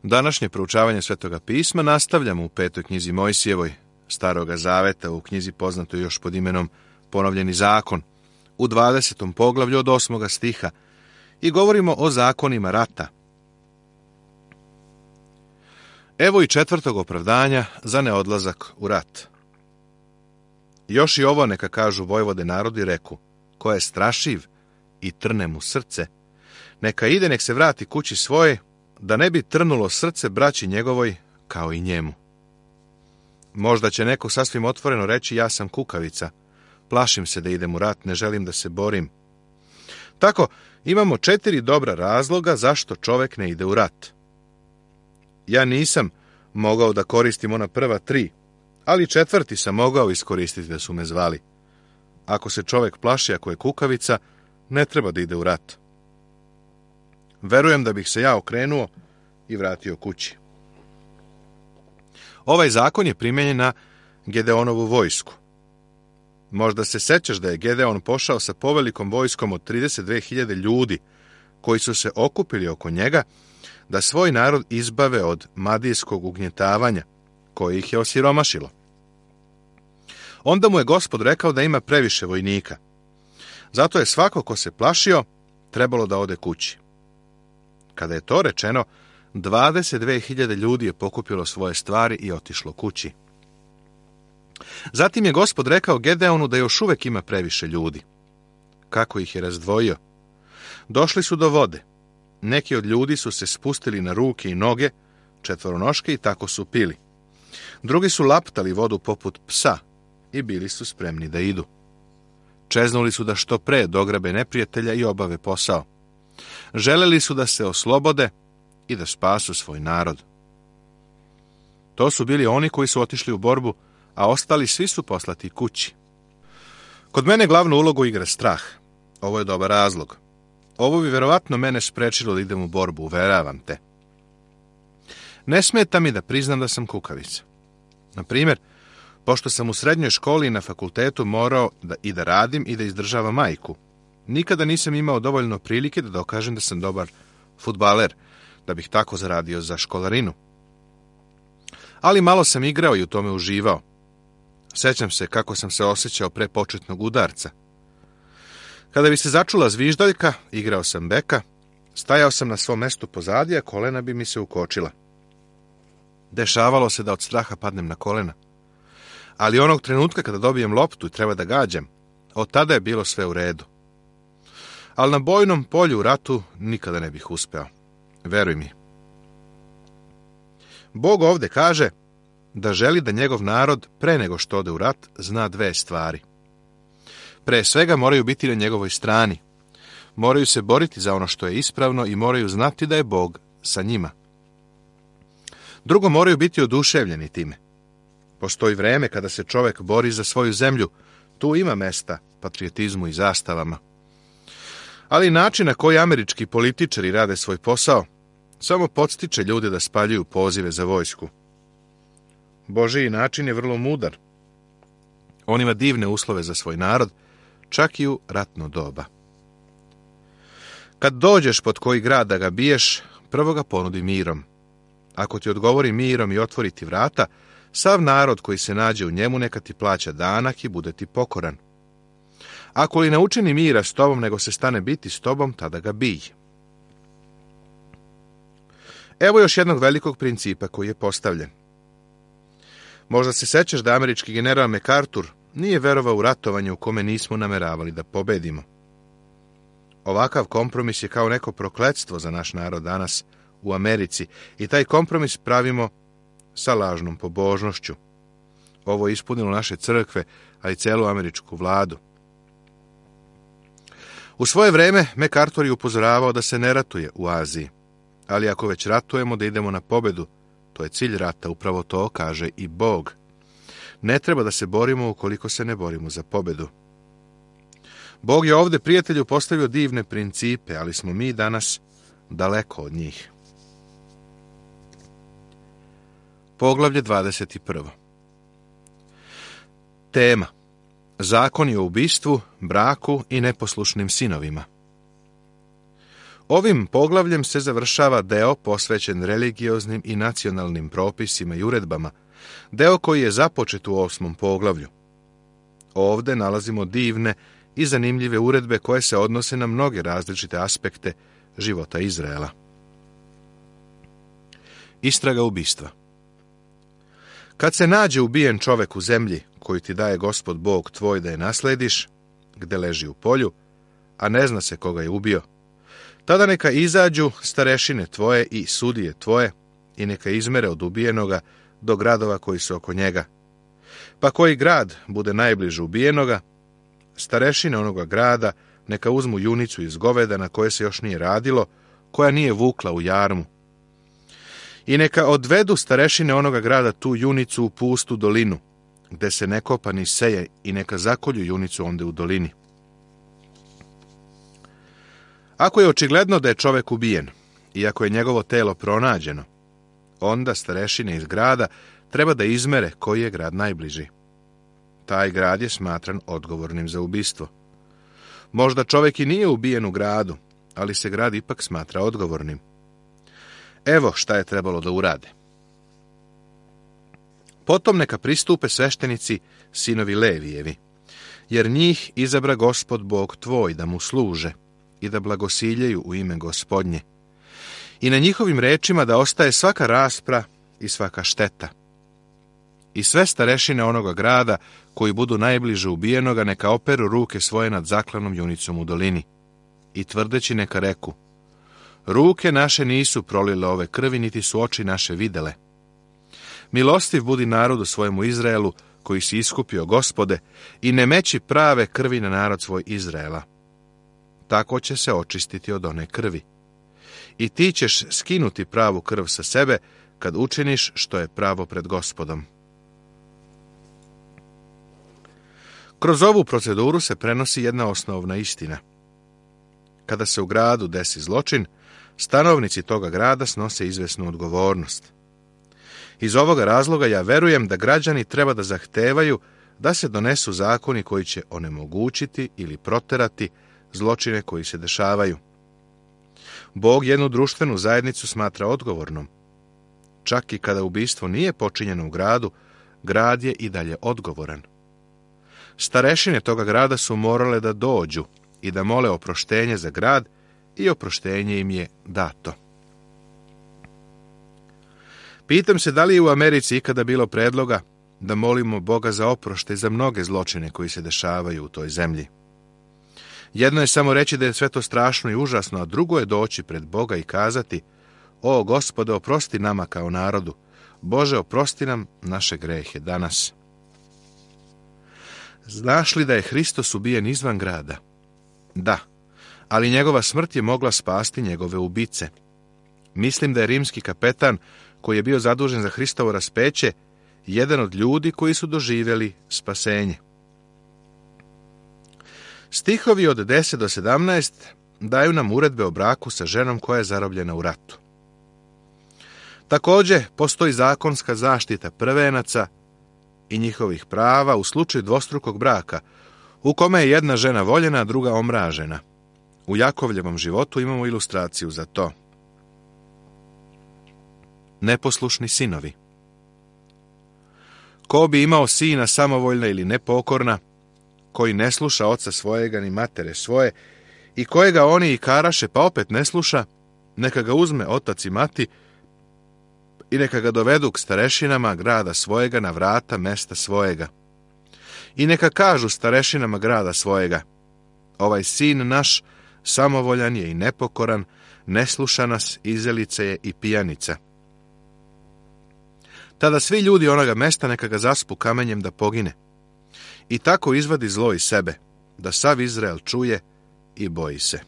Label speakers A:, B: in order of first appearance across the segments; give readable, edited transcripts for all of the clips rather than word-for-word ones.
A: Današnje proučavanje Svetoga pisma nastavljamo u 5. knjizi Mojsijevoj, Staroga zaveta, u knjizi poznatoj još pod imenom Ponovljeni zakon, u 20. poglavlju od 8. stiha, i govorimo o zakonima rata. Evo i 4. opravdanja za neodlazak u rat. Još i ovo neka kažu vojvode narodi, reku, ko je strašiv i trne mu srce, neka ide, nek se vrati kući svoje, da ne bi trnulo srce braći njegovoj kao i njemu. Možda će neko sasvim otvoreno reći, ja sam kukavica, plašim se da idem u rat, ne želim da se borim. Tako, imamo 4 dobra razloga zašto čovek ne ide u rat. Ja nisam mogao da koristim ona prva 3, ali 4. sam mogao iskoristiti da su me zvali. Ako se čovek plaši, ako je kukavica, ne treba da ide u rat. Verujem da bih se ja okrenuo i vratio kući. Ovaj zakon je primenjen na Gedeonovu vojsku. Možda se sećaš da je Gedeon pošao sa povelikom vojskom od 32.000 ljudi koji su se okupili oko njega da svoj narod izbave od madijskog ugnjetavanja koje ih je osiromašilo. Onda mu je Gospod rekao da ima previše vojnika. Zato je svako ko se plašio trebalo da ode kući. Kada je to rečeno, 22.000 ljudi je pokupilo svoje stvari i otišlo kući. Zatim je Gospod rekao Gedeonu da još uvek ima previše ljudi. Kako ih je razdvojio? Došli su do vode. Neki od ljudi su se spustili na ruke i noge, četvoronoške, i tako su pili. Drugi su laptali vodu poput psa i bili su spremni da idu. Čeznuli su da što pre dograbe neprijatelja i obave posao. Želeli su da se oslobode i da spasu svoj narod. To su bili oni koji su otišli u borbu, a ostali svi su poslati kući. Kod mene glavnu ulogu igra strah. Ovo je dobar razlog. Ovo bi verovatno mene sprečilo da idem u borbu, uveravam te. Ne smeta mi da priznam da sam kukavica. Na primjer, pošto sam u srednjoj školi i na fakultetu morao da radim i da izdržavam majku, nikada nisam imao dovoljno prilike da dokažem da sam dobar fudbaler, da bih tako zaradio za školarinu. Ali malo sam igrao i u tome uživao. Sećam se kako sam se osjećao pre početnog udarca. Kada bi se začula zviždaljka, igrao sam beka, stajao sam na svom mestu pozadi, a kolena bi mi se ukočila. Dešavalo se da od straha padnem na kolena. Ali onog trenutka kada dobijem loptu i treba da gađam, od tada je bilo sve u redu. Ali na bojnom polju u ratu nikada ne bih uspeo. Veruj mi. Bog ovde kaže da želi da njegov narod, pre nego što ode u rat, zna 2 stvari. Pre svega moraju biti na njegovoj strani. Moraju se boriti za ono što je ispravno i moraju znati da je Bog sa njima. Drugo, moraju biti oduševljeni time. Postoji vreme kada se čovek bori za svoju zemlju. Tu ima mesta patriotizmu i zastavama. Ali način na koji američki političari rade svoj posao samo podstiče ljude da spaljuju pozive za vojsku. Božiji način je vrlo mudar. On ima divne uslove za svoj narod, čak i u ratno doba. Kad dođeš pod koji grad da ga biješ, prvo ga ponudi mirom. Ako ti odgovori mirom i otvori ti vrata, sav narod koji se nađe u njemu neka ti plaća danak i bude ti pokoran. Ako li ne učini mira s tobom, nego se stane biti s tobom, tada ga bij. Evo još jednog velikog principa koji je postavljen. Možda se sećaš da američki general MacArthur nije verovao u ratovanje u kome nismo nameravali da pobedimo. Ovakav kompromis je kao neko prokletstvo za naš narod danas u Americi i taj kompromis pravimo sa lažnom pobožnošću. Ovo je ispunilo naše crkve, a i celu američku vladu. U svoje vreme MacArthur je upozoravao da se ne ratuje u Aziji, ali ako već ratujemo da idemo na pobedu, to je cilj rata, upravo to kaže i Bog. Ne treba da se borimo ukoliko se ne borimo za pobedu. Bog je ovde prijatelju postavio divne principe, ali smo mi danas daleko od njih. Poglavlje 21. Tema: zakoni o ubistvu, braku i neposlušnim sinovima. Ovim poglavljem se završava deo posvećen religioznim i nacionalnim propisima i uredbama, deo koji je započet u 8. poglavlju. Ovde nalazimo divne i zanimljive uredbe koje se odnose na mnoge različite aspekte života Izraela. Istraga ubistva. Kad se nađe ubijen čovek u zemlji koju ti daje Gospod Bog tvoj da je naslediš, gde leži u polju, a ne zna se koga je ubio, tada neka izađu starešine tvoje i sudije tvoje i neka izmere od ubijenoga do gradova koji su oko njega. Pa koji grad bude najbliže ubijenoga, starešine onoga grada neka uzmu junicu iz goveda na koje se još nije radilo, koja nije vukla u jarmu. I neka odvedu starešine onoga grada tu junicu u pustu dolinu, gde se ne kopa ni seje, i neka zakolju junicu onde u dolini. Ako je očigledno da je čovek ubijen, i ako je njegovo telo pronađeno, onda starešine iz grada treba da izmere koji je grad najbliži. Taj grad je smatran odgovornim za ubistvo. Možda čovek i nije ubijen u gradu, ali se grad ipak smatra odgovornim. Evo šta je trebalo da urade. Potom neka pristupe sveštenici, sinovi Levijevi, jer njih izabra Gospod Bog tvoj da mu služe i da blagosiljaju u ime Gospodnje. I na njihovim rečima da ostaje svaka raspra i svaka šteta. I sve starešine onoga grada koji budu najbliže ubijenoga neka operu ruke svoje nad zaklanom junicom u dolini. I tvrdeći neka reku: ruke naše nisu prolile ove krvi, niti su oči naše videle. Milostiv budi narodu svojemu Izraelu, koji si iskupio, Gospode, i ne meći prave krvi na narod svoj Izraela. Tako će se očistiti od one krvi. I ti ćeš skinuti pravu krv sa sebe, kad učiniš što je pravo pred Gospodom. Kroz ovu proceduru se prenosi jedna osnovna istina. Kada se u gradu desi zločin, stanovnici toga grada snose izvesnu odgovornost. Iz ovoga razloga ja verujem da građani treba da zahtevaju da se donesu zakoni koji će onemogućiti ili proterati zločine koji se dešavaju. Bog jednu društvenu zajednicu smatra odgovornom. Čak i kada ubistvo nije počinjeno u gradu, grad je i dalje odgovoran. Starešine toga grada su morale da dođu i da mole oproštenje za grad, i oproštenje im je dato. Pitam se da li je u Americi ikada bilo predloga da molimo Boga za oproštaj za mnoge zločine koji se dešavaju u toj zemlji. Jedno je samo reći da je sve to strašno i užasno, a drugo je doći pred Boga i kazati: o Gospode, oprosti nama kao narodu. Bože, oprosti nam naše grehe danas. Znaš li da je Hristos ubijen izvan grada? Da, ali njegova smrt je mogla spasti njegove ubice. Mislim da je rimski kapetan, koji je bio zadužen za Hristovo raspeće, jedan od ljudi koji su doživjeli spasenje. Stihovi od 10 do 17 daju nam uredbe o braku sa ženom koja je zarobljena u ratu. Također, postoji zakonska zaštita prvenaca i njihovih prava u slučaju dvostrukog braka, u kome je jedna žena voljena, a druga omražena. U Jakovljevom životu imamo ilustraciju za to. Neposlušni sinovi. Ko bi imao sina samovoljna ili nepokorna, koji ne sluša oca svojega ni matere svoje, i kojega oni i karaše pa opet ne sluša, neka ga uzme otac i mati i neka ga dovedu k starešinama grada svojega na vrata mesta svojega. I neka kažu starešinama grada svojega: ovaj sin naš samovoljan je i nepokoran, ne sluša nas, izelica je i pijanica. Tada svi ljudi onoga mesta neka ga zaspu kamenjem da pogine. I tako izvadi zlo iz sebe, da sav Izrael čuje i boji se.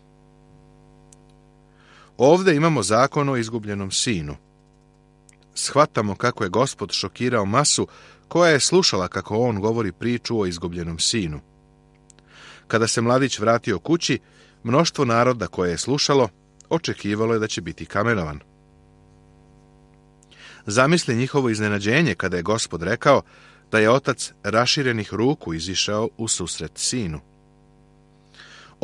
A: Ovde imamo zakon o izgubljenom sinu. Shvatamo kako je Gospod šokirao masu koja je slušala kako on govori priču o izgubljenom sinu. Kada se mladić vratio kući, mnoštvo naroda koje je slušalo očekivalo je da će biti kamenovan. Zamisli njihovo iznenađenje kada je Gospod rekao da je otac raširenih ruku izišao u susret sinu.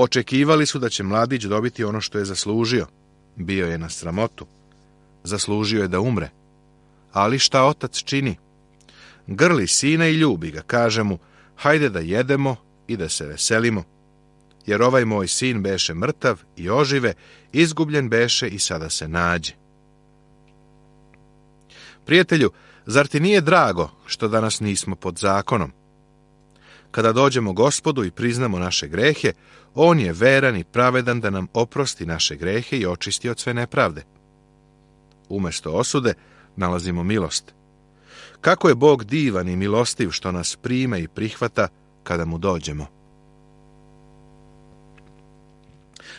A: Očekivali su da će mladić dobiti ono što je zaslužio. Bio je na sramotu. Zaslužio je da umre. Ali šta otac čini? Grli sina i ljubi ga, kaže mu, hajde da jedemo i da se veselimo. Jer ovaj moj sin beše mrtav i ožive, izgubljen beše i sada se nađe. Prijatelju, zar ti nije drago što danas nismo pod zakonom? Kada dođemo Gospodu i priznamo naše grehe, on je veran i pravedan da nam oprosti naše grehe i očisti od sve nepravde. Umjesto osude nalazimo milost. Kako je Bog divan i milostiv što nas prima i prihvata kada mu dođemo.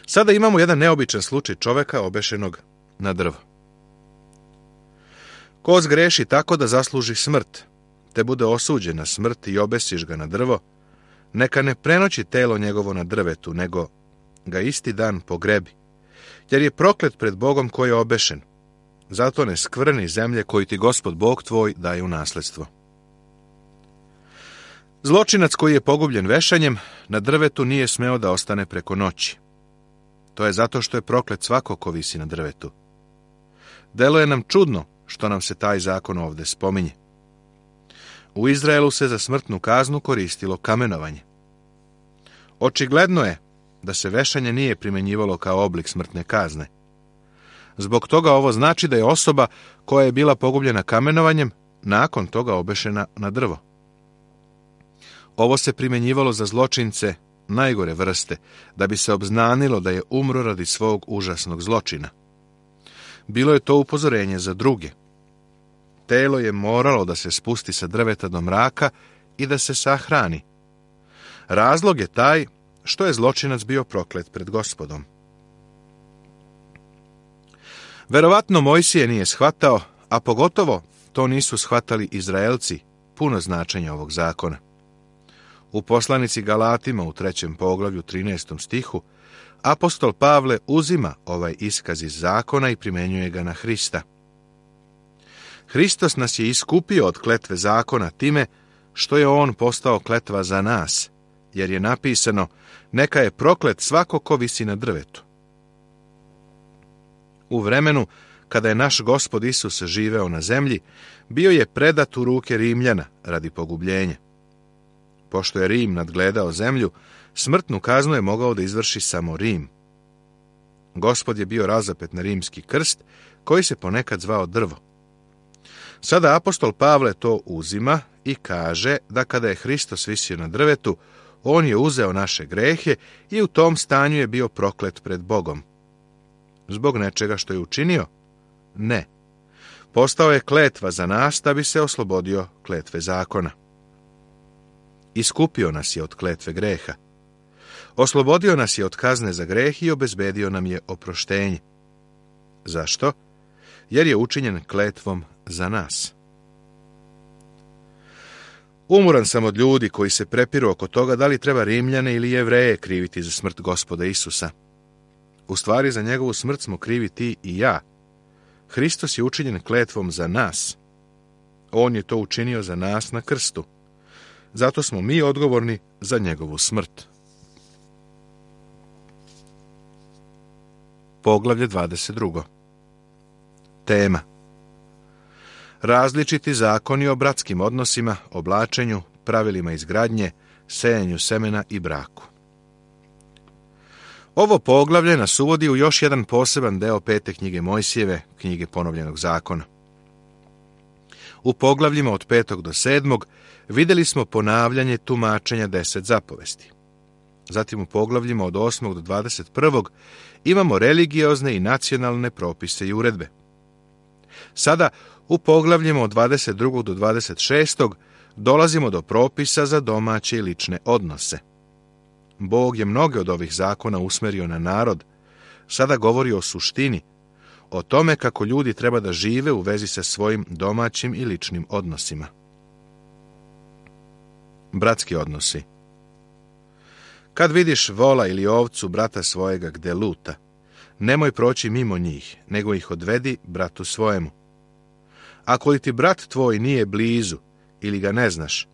A: Sada imamo jedan neobičan slučaj čoveka obešenog na drvo. Ko zgreši tako da zasluži smrt, te bude osuđen na smrt i obesiš ga na drvo, neka ne prenoći telo njegovo na drvetu, nego ga isti dan pogrebi, jer je proklet pred Bogom koji je obešen. Zato ne skvrni zemlje koju ti Gospod Bog tvoj daje u nasledstvo. Zločinac koji je pogubljen vešanjem na drvetu nije smeo da ostane preko noći. To je zato što je proklet svako ko visi na drvetu. Deluje nam čudno što nam se taj zakon ovdje spominje. U Izraelu se za smrtnu kaznu koristilo kamenovanje. Očigledno je da se vešanje nije primjenjivalo kao oblik smrtne kazne. Zbog toga ovo znači da je osoba koja je bila pogubljena kamenovanjem nakon toga obešena na drvo. Ovo se primjenjivalo za zločince najgore vrste, da bi se obznanilo da je umro radi svog užasnog zločina. Bilo je to upozorenje za druge. Telo je moralo da se spusti sa drveta do mraka i da se sahrani. Razlog je taj što je zločinac bio proklet pred Gospodom. Verovatno Mojsije nije shvatao, a pogotovo to nisu shvatali Izraelci, puno značenja ovog zakona. U poslanici Galatima u 3. poglavlju 13. stihu apostol Pavle uzima ovaj iskaz iz zakona i primjenjuje ga na Hrista. Hristos nas je iskupio od kletve zakona time što je on postao kletva za nas, jer je napisano, neka je proklet svako ko visi na drvetu. U vremenu kada je naš Gospod Isus živeo na zemlji, bio je predat u ruke Rimljana radi pogubljenja. Pošto je Rim nadgledao zemlju, smrtnu kaznu je mogao da izvrši samo Rim. Gospod je bio razapet na rimski krst, koji se ponekad zvao drvo. Sada apostol Pavle to uzima i kaže da kada je Hristos visio na drvetu, on je uzeo naše grehe i u tom stanju je bio proklet pred Bogom. Zbog nečega što je učinio? Ne. Postao je kletva za nas da bi se oslobodio kletve zakona. Iskupio nas je od kletve greha. Oslobodio nas je od kazne za greh i obezbedio nam je oproštenje. Zašto? Jer je učinjen kletvom za nas. Umoran sam od ljudi koji se prepiru oko toga da li treba Rimljane ili Jevreje kriviti za smrt Gospoda Isusa. U stvari za njegovu smrt smo krivi ti i ja. Hristos je učinjen kletvom za nas. On je to učinio za nas na krstu. Zato smo mi odgovorni za njegovu smrt. Poglavlje 22. Tema: različiti zakoni o bratskim odnosima, oblačenju, pravilima izgradnje, sejanju semena i braku. Ovo poglavlje nas uvodi u još jedan poseban deo 5. knjige Mojsijeve, knjige ponovljenog zakona. U poglavljima od 5. do 7. vidjeli smo ponavljanje tumačenja 10 zapovesti. Zatim u poglavljima od 8. do 21. imamo religiozne i nacionalne propise i uredbe. Sada u poglavljima od 22. do 26. dolazimo do propisa za domaće i lične odnose. Bog je mnoge od ovih zakona usmerio na narod. Sada govori o suštini, o tome kako ljudi treba da žive u vezi sa svojim domaćim i ličnim odnosima. Bratski odnosi. Kad vidiš vola ili ovcu brata svojega gde luta, nemoj proći mimo njih, nego ih odvedi bratu svojemu. Ako li ti brat tvoj nije blizu ili ga ne znaš,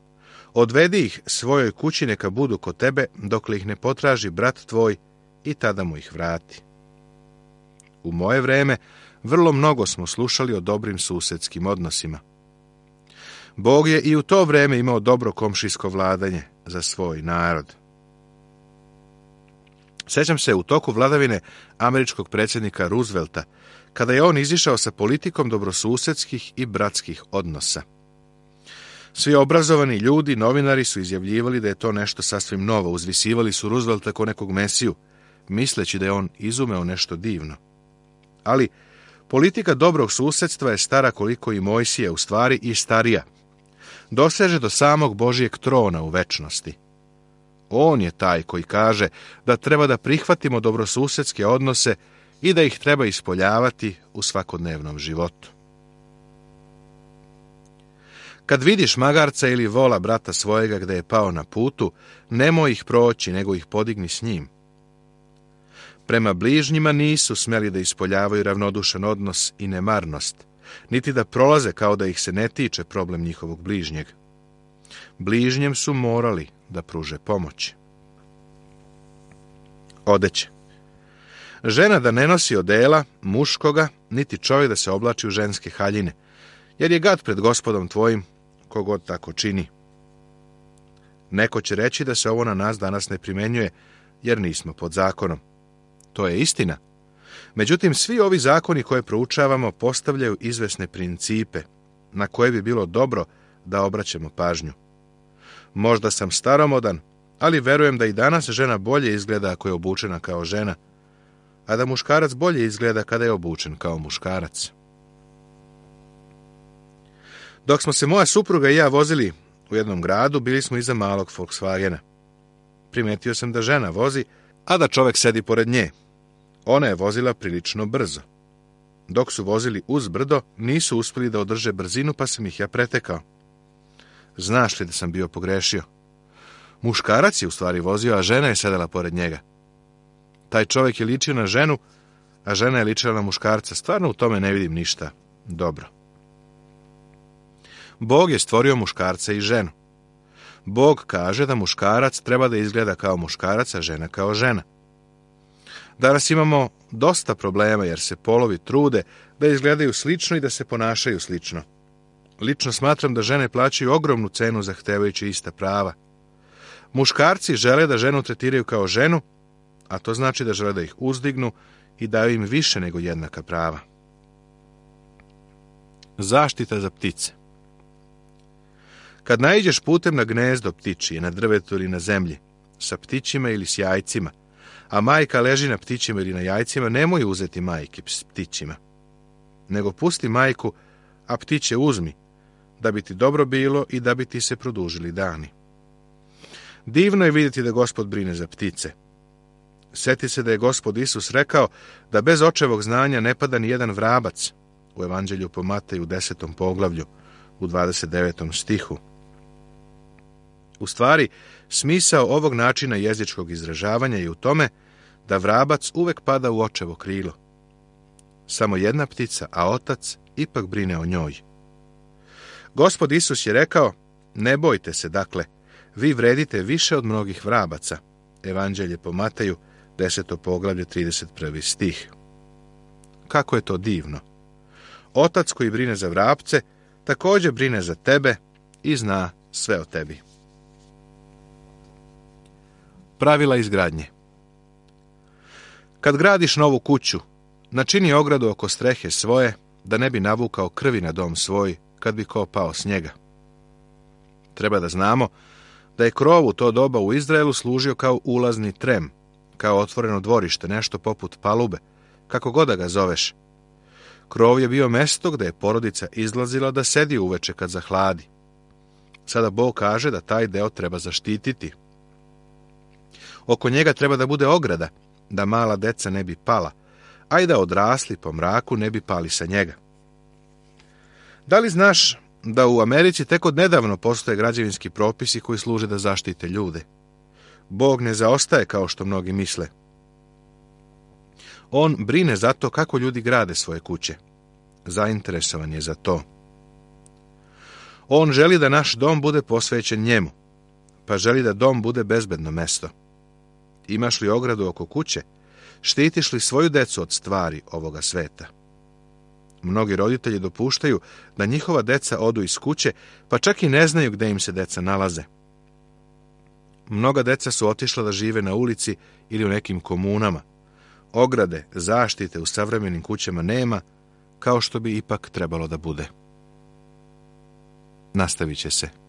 A: Odvedi ih svojoj kući, neka budu kod tebe, dokle ih ne potraži brat tvoj, i tada mu ih vrati. U moje vreme vrlo mnogo smo slušali o dobrim susedskim odnosima. Bog je i u to vreme imao dobro komšijsko vladanje za svoj narod. Sjećam se u toku vladavine američkog predsjednika Roosevelta, kada je on izišao sa politikom dobrosusedskih i bratskih odnosa. Svi obrazovani ljudi, novinari su izjavljivali da je to nešto sasvim novo, uzvisivali su Roosevelta kao nekog mesiju, misleći da je on izumeo nešto divno. Ali politika dobrog susedstva je stara koliko i Mojsije, u stvari i starija. Doseže do samog Božijeg trona u večnosti. On je taj koji kaže da treba da prihvatimo dobrosusedske odnose i da ih treba ispoljavati u svakodnevnom životu. Kad vidiš magarca ili vola brata svojega gde je pao na putu, nemoj ih proći, nego ih podigni s njim. Prema bližnjima nisu smeli da ispoljavaju ravnodušan odnos i nemarnost, niti da prolaze kao da ih se ne tiče problem njihovog bližnjeg. Bližnjem su morali da pruže pomoć. Odeće. Žena da ne nosi odela muškoga, niti čovjek da se oblači u ženske haljine, jer je gad pred Gospodom tvojim, kogod tako čini. Neko će reći da se ovo na nas danas ne primenjuje, jer nismo pod zakonom. To je istina. Međutim, svi ovi zakoni koje proučavamo postavljaju izvesne principe, na koje bi bilo dobro da obraćamo pažnju. Možda sam staromodan, ali verujem da i danas žena bolje izgleda ako je obučena kao žena, a da muškarac bolje izgleda kada je obučen kao muškarac. Dok smo se moja supruga i ja vozili u jednom gradu, bili smo iza malog Volkswagena. Primetio sam da žena vozi, a da čovjek sedi pored nje. Ona je vozila prilično brzo. Dok su vozili uz brdo, nisu uspjeli da održe brzinu, pa sam ih ja pretekao. Znaš li da sam bio pogrešio? Muškarac je u stvari vozio, a žena je sedela pored njega. Taj čovjek je ličio na ženu, a žena je ličila na muškarca. Stvarno u tome ne vidim ništa dobro. Bog je stvorio muškarca i ženu. Bog kaže da muškarac treba da izgleda kao muškarac, a žena kao žena. Danas imamo dosta problema jer se polovi trude da izgledaju slično i da se ponašaju slično. Lično smatram da žene plaćaju ogromnu cenu zahtevajući ista prava. Muškarci žele da ženu tretiraju kao ženu, a to znači da žele da ih uzdignu i daju im više nego jednaka prava. Zaštita za ptice. Kad naiđeš putem na gnezdo ptičije, na drvetu ili na zemlji, sa ptićima ili s jajcima, a majka leži na ptićima ili na jajcima, nemoj uzeti majke s ptićima, nego pusti majku, a ptiće uzmi, da bi ti dobro bilo i da bi ti se produžili dani. Divno je vidjeti da Gospod brine za ptice. Sjeti se da je Gospod Isus rekao da bez očevog znanja ne pada ni jedan vrabac, u Evanđelju po Mateju 10. poglavlju, u 29. stihu. U stvari, smisao ovog načina jezičkog izražavanja je u tome da vrabac uvek pada u očevo krilo. Samo jedna ptica, a otac ipak brine o njoj. Gospod Isus je rekao, ne bojte se, dakle, vi vredite više od mnogih vrabaca. Evanđelje po Mateju, 10. poglavlje, 31. stih. Kako je to divno! Otac koji brine za vrapce, također brine za tebe i zna sve o tebi. Pravila izgradnje. Kad gradiš novu kuću, načini ogradu oko strehe svoje, da ne bi navukao krvi na dom svoj kad bi ko pao s njega. Treba da znamo da je krov u to doba u Izraelu služio kao ulazni trem, kao otvoreno dvorište, nešto poput palube, kako god da ga zoveš. Krov je bio mesto gde je porodica izlazila da sedi uveče kad zahladi. Sada Bog kaže da taj deo treba zaštititi. Oko njega treba da bude ograda, da mala deca ne bi pala, a i da odrasli po mraku ne bi pali sa njega. Da li znaš da u Americi tek od nedavno postoje građevinski propisi koji služe da zaštite ljude? Bog ne zaostaje kao što mnogi misle. On brine za to kako ljudi grade svoje kuće. Zainteresovan je za to. On želi da naš dom bude posvećen njemu, pa želi da dom bude bezbedno mesto. Imaš li ogradu oko kuće? Štitiš li svoju decu od stvari ovoga sveta? Mnogi roditelji dopuštaju da njihova deca odu iz kuće, pa čak i ne znaju gde im se deca nalaze. Mnoga deca su otišla da žive na ulici ili u nekim komunama. Ograde, zaštite u savremenim kućama nema, kao što bi ipak trebalo da bude. Nastavit će se.